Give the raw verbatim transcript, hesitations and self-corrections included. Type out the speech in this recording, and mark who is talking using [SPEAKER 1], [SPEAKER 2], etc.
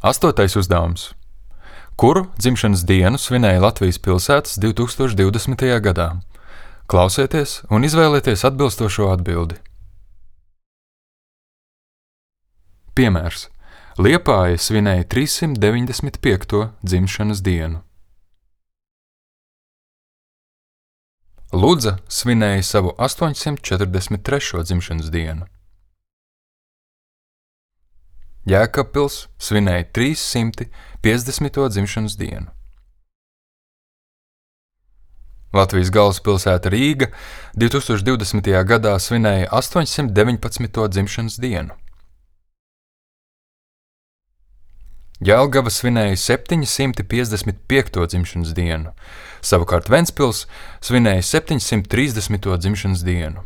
[SPEAKER 1] Astotais uzdevums. Kuru dzimšanas dienu svinēja Latvijas pilsētas divtūkstoš divdesmitajā gadā? Klausieties un izvēlieties atbilstošo atbildi. Piemērs. Liepāja svinēja trīssimt deviņdesmit piekto dzimšanas dienu. Ludza svinēja savu astoņsimt četrdesmit trešo dzimšanas dienu. Jēkabpils svinēja trīssimt piecdesmito dzimšanas dienu. Latvijas galvaspilsēta Rīga divtūkstoš divdesmitajā gadā svinēja astoņsimt deviņpadsmito dzimšanas dienu. Jelgava svinēja septiņsimt piecdesmit piekto dzimšanas dienu, savukārt Ventspils svinēja septiņsimt trīsdesmito dzimšanas dienu.